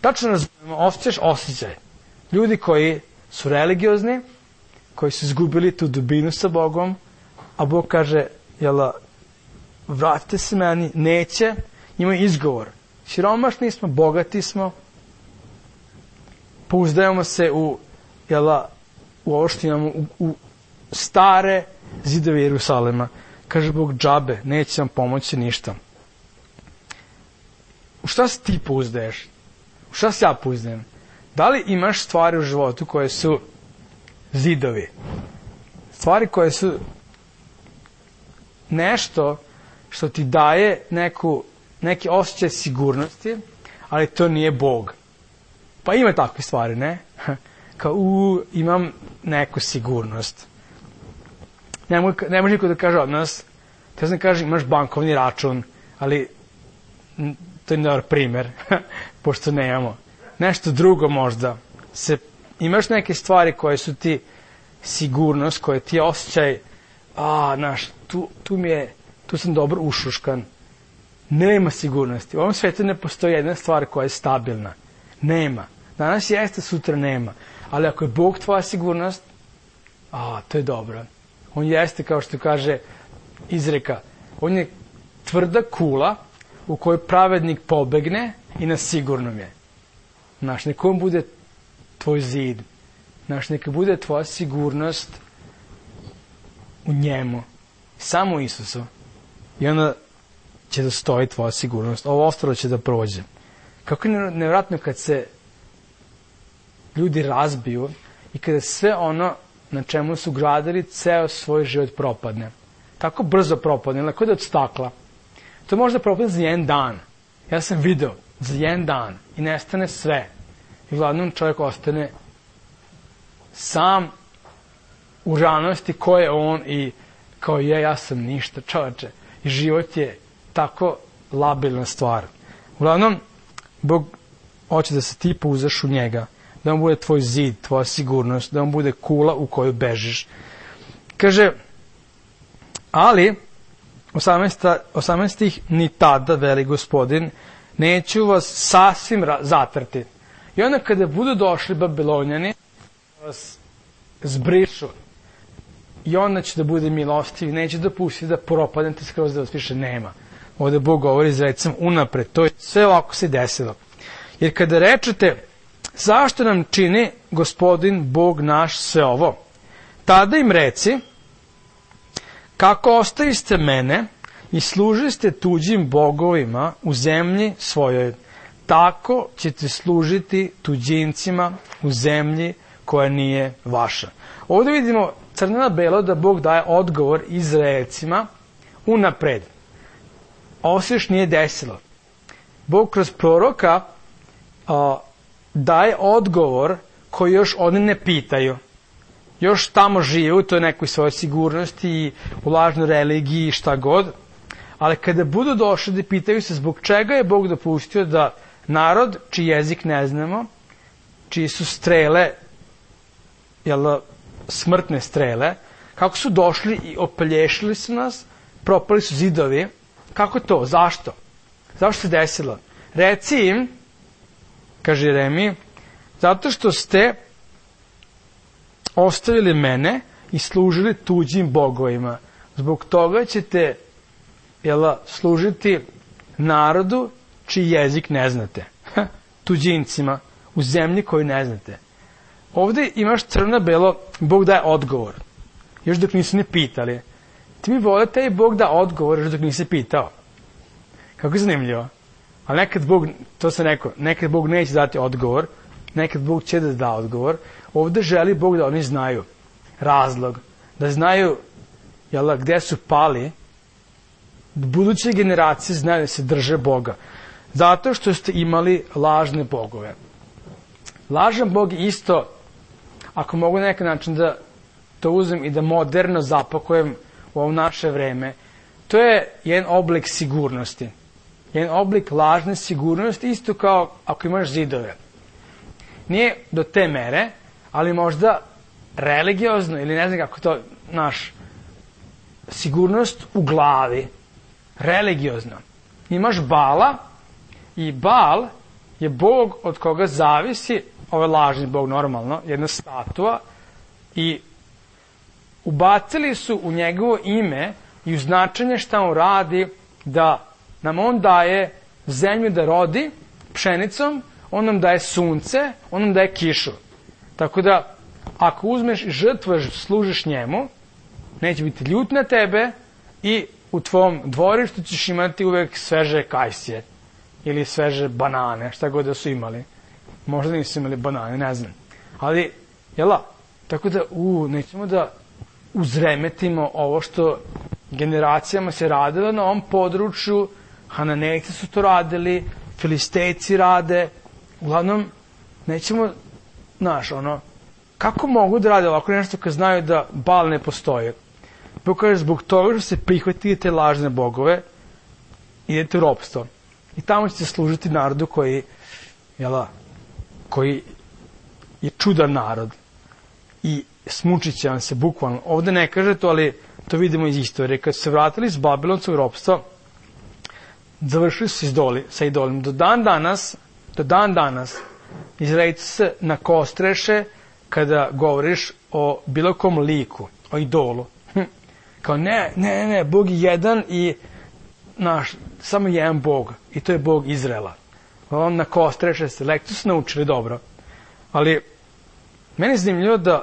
Tačno razumemo, osjećaš osjećaj. Ljudi koji su religiozni, koji su izgubili tu dubinu sa Bogom, a Bog kaže, vratite se meni, neće, imaju izgovor. Siromašni smo, bogati smo, pouzdajemo se u ovo što imamo, u stare zidove Jerusalema. Kaže Bog, džabe, neće vam pomoći ništa. U šta se ti pouzdaješ? U šta se ja pouzdajem? Da li imaš stvari u životu koje su zidovi? Stvari koje su nešto što ti daje neki osjećaj sigurnosti, ali to nije Bog. Pa ima takve stvari, ne? Kao, imam neku sigurnost. Ne može niko da kaže od nas, te znam kaže, imaš bankovni račun, ali to je dobar primer, pošto nemamo. Nešto drugo možda. Imaš neke stvari koje su ti sigurnost, koje ti je osjećaj, tu sam dobro ušuškan. Nema sigurnosti. U ovom svijetu ne postoji jedna stvar koja je stabilna. Nema. Danas jeste, sutra nema. Ali ako je Bog tvoja sigurnost, to je dobro. On jeste, kao što kaže izreka, on je tvrda kula u kojoj pravednik pobegne i na sigurnom je. Znaš, neka on bude tvoj zid. Znaš, neka bude tvoja sigurnost u njemu. Samo u Isusu. I onda će da stoji tvoja sigurnost. Ovo ostalo će da prođe. Kako je nevjerojatno kad se ljudi razbiju i kada sve ono na čemu su gradili ceo svoj život propadne. Tako brzo propadne, lako da od stakla. To može da propadne za jedan dan. Ja sam video za jedan dan i nestane sve. I glavnom čovjek ostane sam u ranosti ko je on i kao ja sam ništa, čovječe. I život je tako labilna stvar. Uglavnom, Bog hoće da se ti pouzaš u njega, da on bude tvoj zid, tvoja sigurnost, da on bude kula u koju bežiš. Kaže, ali, 18. ni tada, veli Gospodin, neću vas sasvim zatrti. I onda kada budu došli Babilonjani, vas zbrišu. I onda će da bude milostiv, neće dopustiti da propadnete skroz da vas više nema. Ovdje Bog govori izrecom unapred, to je sve ovako se desilo. Jer kada rečete, zašto nam čini Gospodin Bog naš sve ovo? Tada im reci, kako ostaviste mene i služiste tuđim bogovima u zemlji svojoj, tako ćete služiti tuđincima u zemlji koja nije vaša. Ovdje vidimo crno na belo da Bog daje odgovor Izraelcima unapred. Ovo se još nije desilo. Bog kroz proroka daje odgovor koji još oni ne pitaju. Još tamo žive u toj nekoj svojoj sigurnosti i u lažnoj religiji i šta god. Ali kada budu došli da pitaju se zbog čega je Bog dopustio da narod, čiji jezik ne znamo, čiji su strele, smrtne strele, kako su došli i opelješili su nas, propali su zidovi, kako to, zašto? Zašto se desilo? Reci im, kaže Jeremija, zato što ste ostavili mene i služili tuđim bogovima. Zbog toga ćete služiti narodu čiji jezik ne znate. Tuđincima u zemlji koju ne znate. Ovde imaš crno belo, Bog daje odgovor. Još dok nisu ni pitali. Ti mi vole taj Bog da odgovor još dok nisi pitao. Kako je zanimljivo. Ali nekad Bog, to sam rekao, nekad Bog neće dati odgovor, nekad Bog će da da odgovor. Ovde želi Bog da oni znaju razlog, da znaju gde su pali, da buduće generacije znaju da se drže Boga. Zato što ste imali lažne bogove. Lažan Bog isto, ako mogu na neki način da to uzem i da moderno zapakujem u ovo naše vreme, to je jedan oblik sigurnosti. Jedan oblik lažne sigurnosti, isto kao ako imaš zidove. Nije do te mere, ali možda religiozno, ili ne znam kako to, sigurnost u glavi, religiozno. Imaš Bala i Bal je Bog od koga zavisi, ovo je lažni Bog normalno, jedna statua, i ubacili su u njegovo ime i u značenje šta on radi, da nam on daje zemlju da rodi pšenicom, on nam daje sunce, on nam daje kišu. Tako da, ako uzmeš i žrtvuješ, služiš njemu, neće biti ljut na tebe i u tvom dvorištu ćeš imati uvek sveže kajsije ili sveže banane, šta god da su imali. Možda nisu imali banane, ne znam. Ali, tako da, nećemo da uzremetimo ovo što generacijama se radilo na ovom području. Hananejci su to radili, Filistejci rade. Uglavnom, nećemo, kako mogu da rade ovako nešto kad znaju da Bal ne postoje? Bog kaže, zbog toga što se prihvatili te lažne bogove, idete u ropstvo. I tamo ćete služiti narodu koji je čudan narod. I smučit će vam se, bukvalno. Ovde ne kaže to, ali to vidimo iz istorije. Kad su se vratili iz Babilonskog ropstva, završili su sa idolima. Do dan danas, Izraelci se nakostreše kada govoriš o bilo kom liku, o idolu. Kao ne, Bog je jedan i samo jedan Bog, i to je Bog Izraela. On nakostreše se, lekciju su naučili dobro. Ali meni je zanimljivo da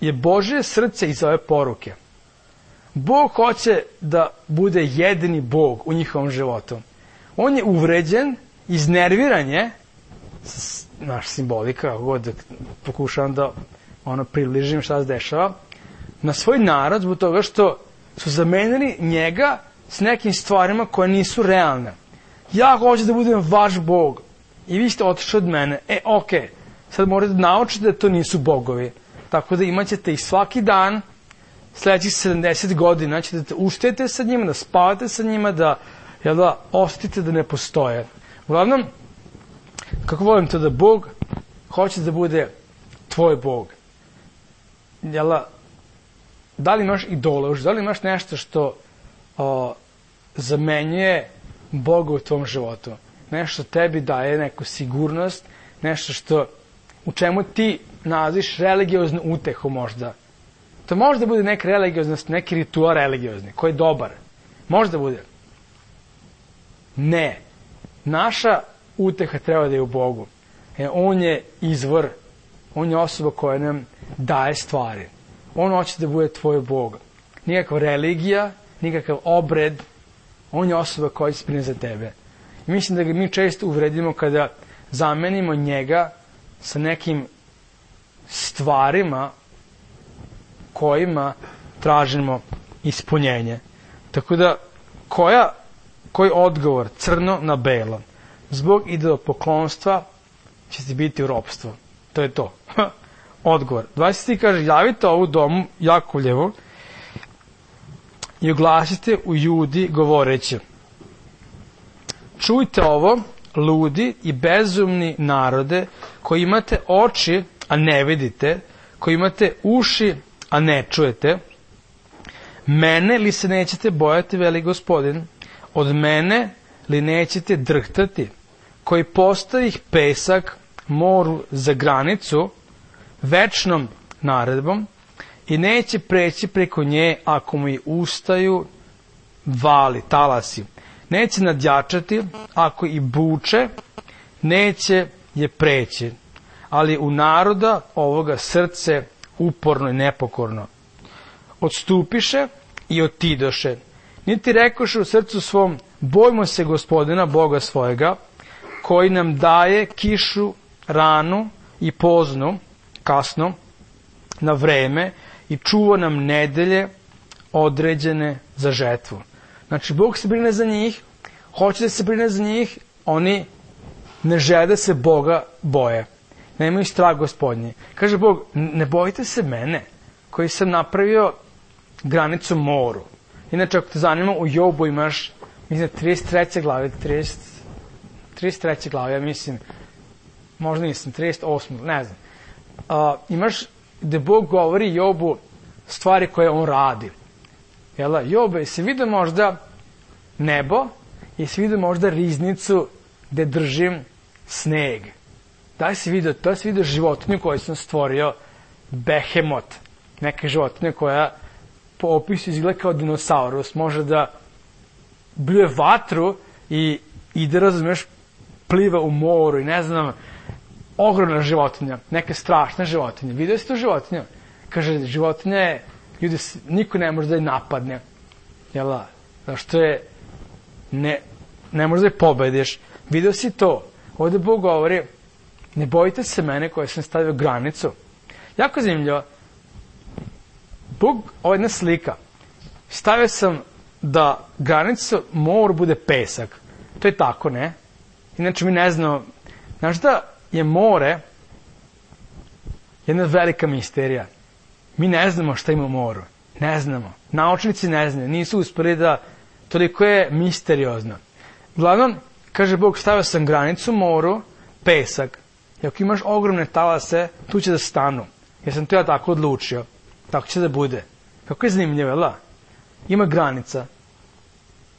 je Božje srce iz ove poruke. Bog hoće da bude jedini Bog u njihovom životu. On je uvređen, iznerviran je, naš simbolika, kako god pokušavam da približim šta se dešava, na svoj narod zbog toga što su zamenili njega s nekim stvarima koje nisu realne. Ja hoću da budem vaš Bog i vi ste otišli od mene. Okej, sad morate da naučite da to nisu bogovi. Tako da imat ćete ih svaki dan, sledećih 70 godina ćete da uštete sa njima, da spavate sa njima, da osetite da ne postoje. Uglavnom, kako volim to da Bog hoće da bude tvoj Bog. Da li imaš idola, da li imaš nešto što zamenjuje Boga u tvom životu? Nešto tebi daje neku sigurnost, nešto u čemu ti nalaziš religioznu utehu možda. To može da bude neka religioznost, neki ritual religiozni, koji je dobar. Može da bude. Ne. Naša uteha treba da je u Bogu. On je izvor, on je osoba koja nam daje stvari. On hoće da bude tvoj Bog. Nikakva religija, nikakav obred, on je osoba koja će sprine za tebe. I mislim da ga mi često uvredimo kada zamenimo njega sa nekim stvarima kojima tražimo ispunjenje. Tako da, koji odgovor? Crno na belo. Zbog idolopoklonstva će ti biti u ropstvu. To je to. Odgovor. 20. kaže, javite ovu domu Jakovljevu i oglasite u Judi govoreći: čujte ovo, ludi i bezumni narode, koji imate oči, a ne vidite, koji imate uši, a ne čujete. Mene li se nećete bojati, veli Gospodin? Od mene li nećete drhtati? Koji postavih pesak moru za granicu, večnom naredbom i neće preći preko nje ako mu i ustaju vali, talasi. Neće nadjačati, ako i buče, neće je preći. Ali u naroda ovoga srce uporno i nepokorno. Odstupiše i otidoše. Niti rekoše u srcu svom, bojmo se Gospodina Boga svojega, koji nam daje kišu ranu i poznu, kasno, na vreme i čuva nam nedelje određene za žetvu. Znači, Bog se brine za njih, hoće da se brine za njih, oni ne žele da se Boga boje. Nemaju strah Gospodnji. Kaže Bog, ne bojite se mene, koji sam napravio granicu moru. Inače, ako te zanima, u Jobu imaš, mislim, 33. glave, 33. glave, ja mislim, možda nisam, 38. ne znam. Imaš gde Bog govori Jobu stvari koje on radi. Jel, Jobe, jesi vidio možda nebo, jesi vidio možda riznicu gde držim sneg? Da li si vidio životinju koju sam stvorio, behemot, neka životinja koja po opisu izgleda kao dinosaurus, može da bljuje vatru i ide, razumeš, pliva u moru i ne znam, ogromna životinja, neka strašna životinja. Vidio si tu životinju? Kaže, životinja je, ljudi, niko ne može da je napadne. Jel, zašto je, ne može da je pobediš. Vidio si to. Ovde Bog govori, ne bojite se mene koji sam stavio granicu. Jako zanimljivo. Bog, ovo je jedna slika. Stavio sam da granica mora bude pesak. To je tako, ne? Inače mi ne znamo. Znaš da je more jedna velika misterija. Mi ne znamo šta ima u moru. Ne znamo. Naučnici ne znaju. Nisu uspeli da... Toliko je misteriozno. Uglavnom, kaže Bog, stavio sam granicu moru, pesak. I ako imaš ogromne talase, tu će da stanu. Jer sam to ja tako odlučio. Tako će da bude. Kako je zanimljivo, jel? Ima granica.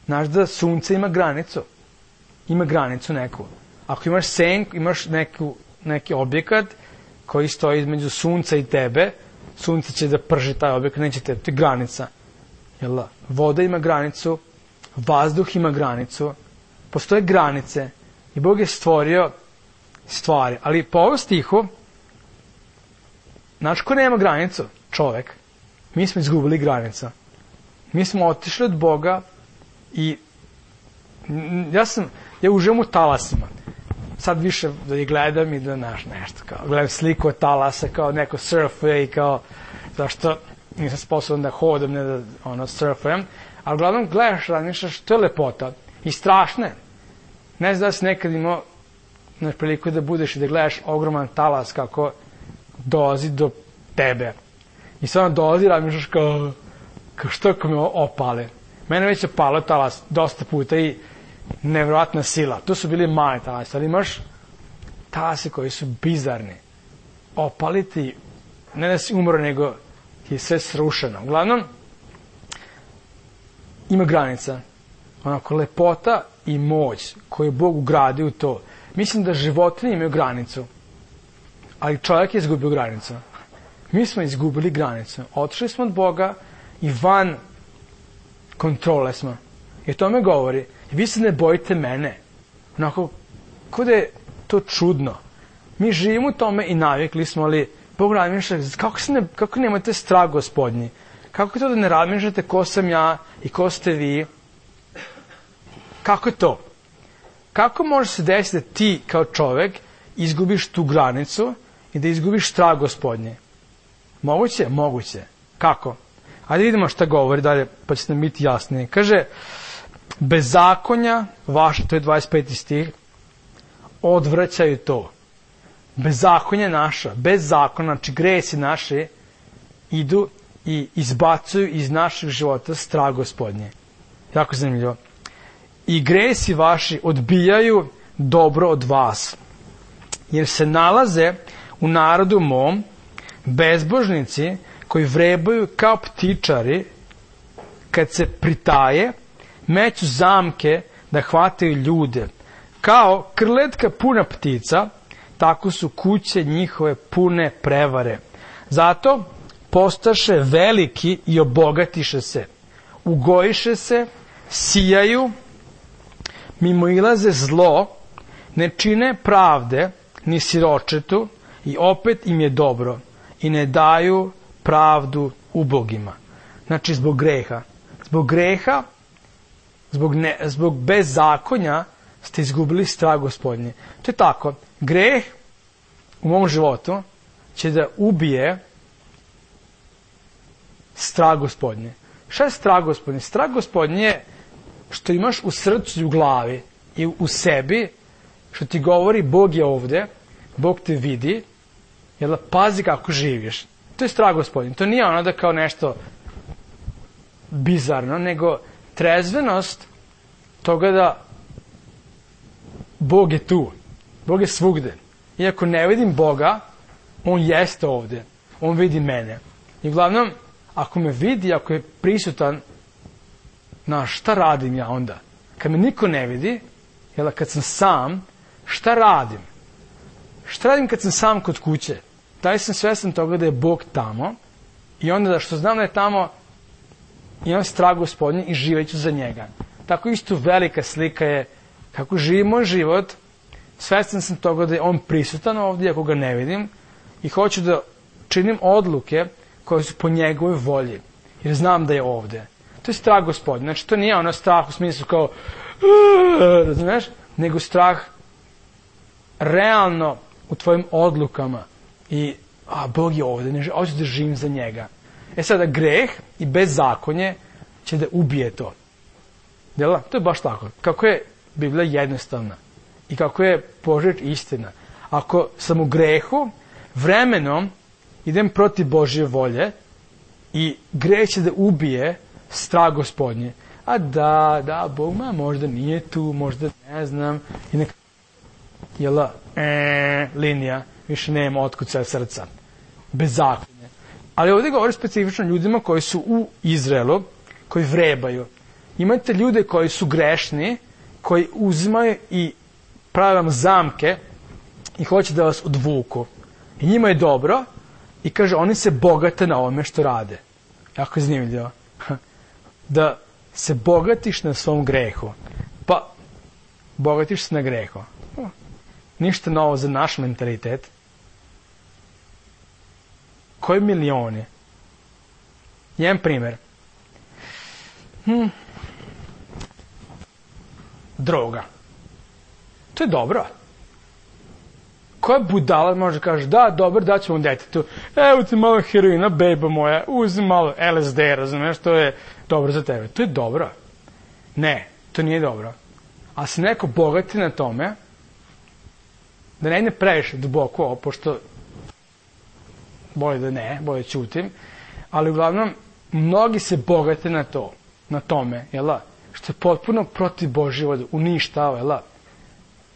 Znaš da sunce ima granicu. Ima granicu neku. Ako imaš senku, imaš neki objekat koji stoji između sunca i tebe, sunce će da prži taj objekat, neće te, to je granica. Jel? Voda ima granicu, vazduh ima granicu, postoje granice i Bog je stvorio stvari. Ali po ovom stihu, znaš ko nema granicu? Čovek. Mi smo izgubili granicu. Mi smo otišli od Boga i ja uživam u talasima. Sad više da ih gledam i da nešto kao, gledam sliku od talasa kao neko surfuje i kao, zašto nisam sposoban da hodam, ne da surfujem, ali uglavnom gledaš, razmišljaš, to je lepota i strašne. Ne znam da si nekad imao priliku da budeš i da gledaš ogroman talas kako dolazi do tebe. I sad on dolazi i razmišljaš kao što ako me opale. Mene već je palo talas dosta puta i nevjerojatna sila. To su bili mali talasi, ali imaš talasi koji su bizarni. Opaliti, ne da si umro, nego ti je sve srušeno. Uglavnom, ima granica. Onako, lepota i moć koju je Bog ugradio u to. Mislim da životinje imaju granicu, ali čovjek je izgubio granicu. Mi smo izgubili granicu. Otišli smo od Boga i van kontrole smo. I to me govori. Vi se ne bojite mene. Onako, kod je to čudno. Mi živimo u tome i navikli smo, ali Bog razmišlja, kako nemate strah Gospodnji? Kako je to da ne razmišljate ko sam ja i ko ste vi? Kako je to? Kako može se desiti da ti kao čovek izgubiš tu granicu i da izgubiš strah Gospodnje? Moguće? Moguće. Kako? Ajde vidimo šta govori dalje, pa će nam biti jasnije. Kaže, bezakonja vaša, to je 25. stih, odvraćaju to. Bezakonja naša, bez zakona, znači gresi naše, idu i izbacuju iz naših života strah Gospodnje. Jako zanimljivo. I gresi vaši odbijaju dobro od vas, jer se nalaze u narodu mom bezbožnici koji vrebaju kao ptičari, kad se pritaje, meću zamke da hvataju ljude. Kao krletka puna ptica, tako su kuće njihove pune prevare. Zato postaše veliki i obogatiše se. Ugojiše se, sijaju, mimoilaze zlo, ne čine pravde, ni siročetu, i opet im je dobro, i ne daju pravdu ubogima. Znači, zbog greha. Zbog greha, zbog bezzakonja ste izgubili strah Gospodnje. To je tako. Greh u mom životu će da ubije strah Gospodnje. Šta je strah Gospodnje? Strah Gospodnje je što imaš u srcu i u glavi i u sebi, što ti govori Bog je ovde, Bog te vidi, jel, pazi kako živiš. To je strah Gospodnje. To nije ono da kao nešto bizarno, nego trezvenost toga da Bog je tu. Bog je svugde. Iako ne vidim Boga, on jeste ovde. On vidi mene. I uglavnom, ako me vidi, ako je prisutan, šta radim ja onda? Kad me niko ne vidi, jel, kad sam sam, šta radim? Šta radim kad sam sam kod kuće? Da sam svestan toga da je Bog tamo i onda da što znam da je tamo, imam strah Gospodnje i živeću za njega. Tako isto velika slika je kako živim moj život, svestan sam toga da je on prisutan ovdje, ako ga ne vidim, i hoću da činim odluke koje su po njegovoj volji, jer znam da je ovdje. To je strah Gospodnje. Znači, to nije ono strah u smislu kao, razumiješ, nego strah realno u tvojim odlukama i, Bog je ovdje, hoću da živim za njega. Sada, greh i bezzakonje će da ubije to. Jel? To je baš tako. Kako je Biblija jednostavna i kako je Božja istina. Ako sam u grehu, vremenom idem protiv Božje volje i greh će da ubije strah Gospodnje. A da, Bog možda nije tu, možda ne znam. I neka linija, više nema otkucaja srca. Bezzakonje. Ali ovdje govori specifično ljudima koji su u Izraelu, koji vrebaju. Imate ljude koji su grešni, koji uzimaju i prave vam zamke i hoće da vas odvuku. I njima je dobro i kaže, oni se bogate na ovome što rade. Jako je zanimljivo. Da se bogatiš na svom grehu. Pa, bogatiš se na grehu. Ništa novo za naš mentalitet. Koji milioni? Jedan primjer. Droga. To je dobro. Koja budala može kaže, da, dobro, daćemo detetu. Evo ti malo heroina, beba moja, uzmi malo LSD, razumiješ, to je dobro za tebe. To je dobro. Ne, to nije dobro. A se neko bogati na tome, da ne previše duboko ovo, pošto bolje da ne, bolje ćutim, ali uglavnom, mnogi se bogate na tome, jel', što je potpuno protiv Božje volje, uništava, jel',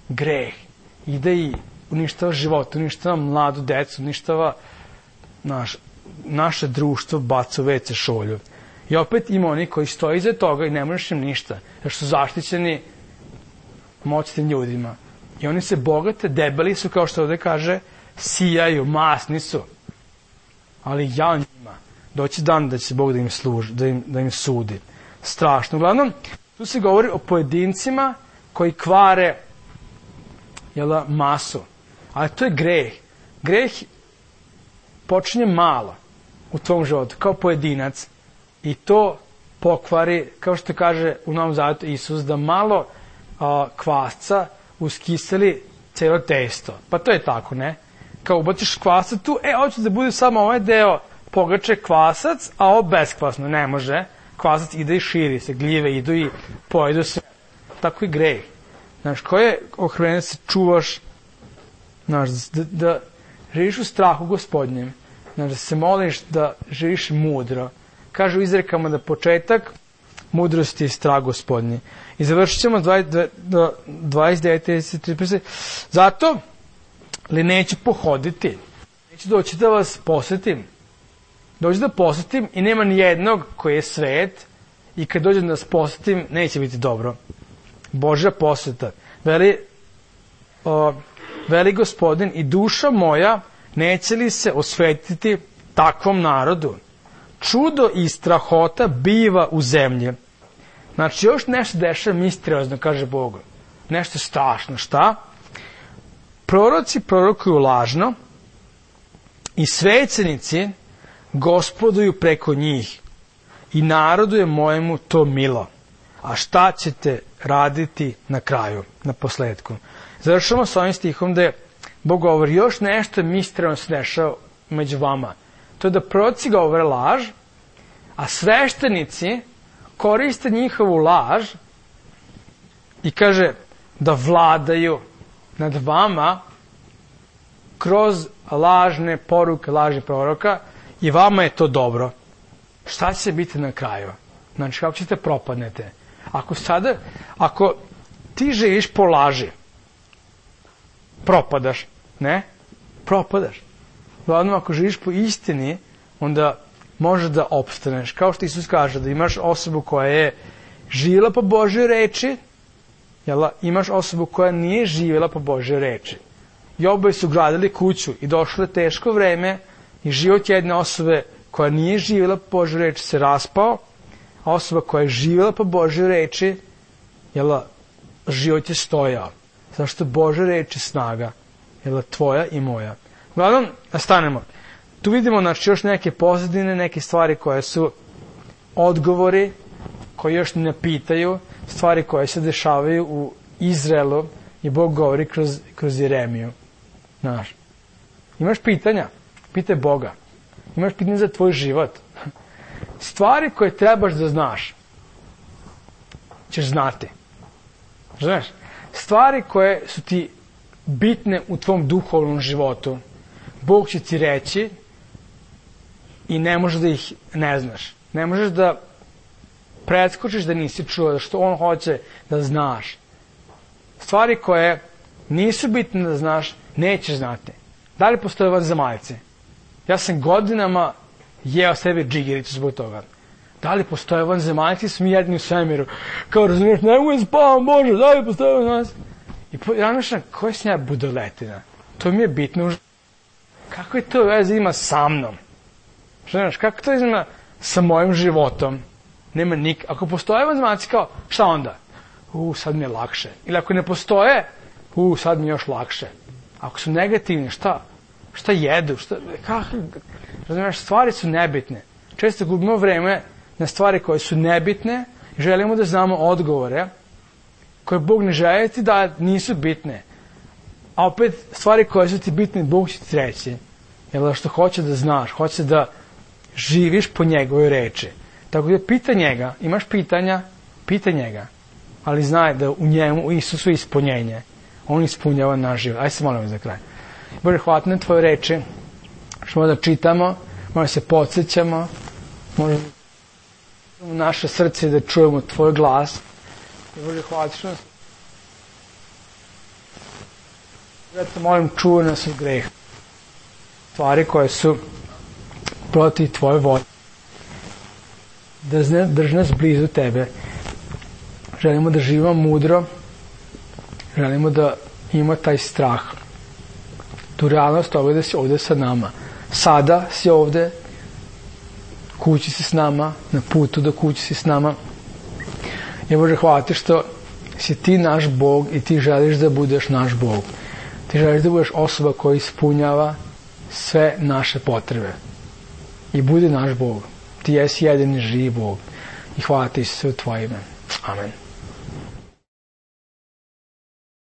greh, ide i uništava život, uništava mladu decu, uništava naše društvo, baca u WC šolju. I opet ima oni koji stoji iza toga i ne možeš im ništa, jer su zaštićeni moćnim ljudima. I oni se bogate, debeli su, kao što ovdje kaže, sijaju, masni su. Ali ja njima, doći dan da će Bog da im služi, da im sudi. Strašno. Uglavnom, tu se govori o pojedincima koji kvare masu. Ali to je greh. Greh počinje malo u tvom životu, kao pojedinac. I to pokvari, kao što kaže u Novom Zavetu Isus, da malo kvasca uskiseli cijelo testo. Pa to je tako, ne? Kao ubaciš kvasac tu, hoće da bude samo ovaj deo pogače kvasac, a ovo beskvasno. Ne može. Kvasac ide i širi se, gljive idu i pojedu sve. Tako i greh. Znaš, ko je ohrven da se čuvaš, znaš, da živiš u strahu Gospodnjem, znaš, da se moliš da živiš mudro. Kažu u izrekama da početak mudrosti je strah Gospodnji. I završit ćemo 29. Zato li neću pohoditi, neću doći da vas posjetim. Dođu da posjetim i nema ni jednog koji je svet i kad dođem da vas posjetim neće biti dobro. Božja posjeta. Veli Gospodin, i duša moja neće li se osvetiti takvom narodu čudo i strahota biva u zemlji. Znači, još nešto dešava misteriozno, kaže Bog. Nešto strašno. Šta? Proroci prorokuju lažno i svećenici gospoduju preko njih i narodu je mojemu to milo. A šta ćete raditi na kraju, na posledku? Završamo s ovim stihom da je Bog govori još nešto misteriozno se dešava među vama. To je da proroci govore laž, a sveštenici koriste njihovu laž i kaže da vladaju nad vama kroz lažne poruke, lažnih proroka i vama je to dobro. Šta će biti na kraju? Znači, kako ćete propadnete? Ako ti živiš po laži, propadaš, ne? Propadaš. Glavno, ako živiš po istini, onda možeš da opstaneš. Kao što Isus kaže, da imaš osobu koja je živjela po Božjoj reči, imaš osobu koja nije živjela po Božjoj reči. I oboje su gradili kuću i došlo je teško vreme i život jedne osobe koja nije živjela po Božjoj reči se raspao, a osoba koja je živjela po Božjoj reči, život je stojao. Zašto Božja reč je snaga, tvoja i moja. Uglavnom, nastanemo. Tu vidimo još neke pozadine, neke stvari koje su odgovori, koji još ne pitaju, stvari koje se dešavaju u Izraelu i Bog govori kroz Jeremiju. Znaš, imaš pitanja? Pitaj Boga. Imaš pitanje za tvoj život. Stvari koje trebaš da znaš, ćeš znati. Znaš, stvari koje su ti bitne u tvom duhovnom životu, Bog će ti reći i ne možeš da ih ne znaš. Ne možeš da preskočiš da nisi čuo, da što on hoće da znaš. Stvari koje nisu bitne da znaš, nećeš znati. Da li postoje vanzemaljci? Ja sam godinama jeo sebi džigericu zbog toga. Da li postoje vanzemaljci? Smo jedni u svemiru. Kao razumiješ, ne mogu spavam, Bože, da li postoje vanzemaljci? I ja mišljam, koja sam ja budaletina? To mi je bitno. Kako je to veze ima sa mnom? Znaš, kako to ima sa mojim životom? Nema ako postoje vanzemaljci, kao, šta onda? Sad mi je lakše. Ili ako ne postoje, sad mi je još lakše. Ako su negativni, šta? Šta jedu? Razumiješ, stvari su nebitne. Često gubimo vreme na stvari koje su nebitne i želimo da znamo odgovore koje Bog ne želi ti da nisu bitne. A opet, stvari koje su ti bitne, Bog će ti reći. Jer što hoće da znaš, hoće da živiš po njegovoj reči. Tako da pita njega, imaš pitanja, pita njega. Ali znaj da u njemu, u Isusu je ispunjenje. On ispunjava naš život. Ajde se molim za kraj. Bože, hvala na tvoje reči. Što da čitamo, možda se podsjećamo, možda u naše srce da čujemo tvoj glas. Bože, hvala što nas. Ja te molim, čuvaj nas od greha. Stvari koje su protiv tvoje volje. Drži nas blizu tebe. Želimo da živimo mudro. Želimo da imamo taj strah. Tu realnost ovdje da si ovdje sa nama. Sada si ovdje, kući si s nama, na putu do kući si s nama. I Bože, hvala ti što si ti naš Bog i ti želiš da budeš naš Bog. Ti želiš da budeš osoba koja ispunjava sve naše potrebe. I budi naš Bog. Ti jesi jedini živi Bog. I hvala ti se u tvoje ime. Amen.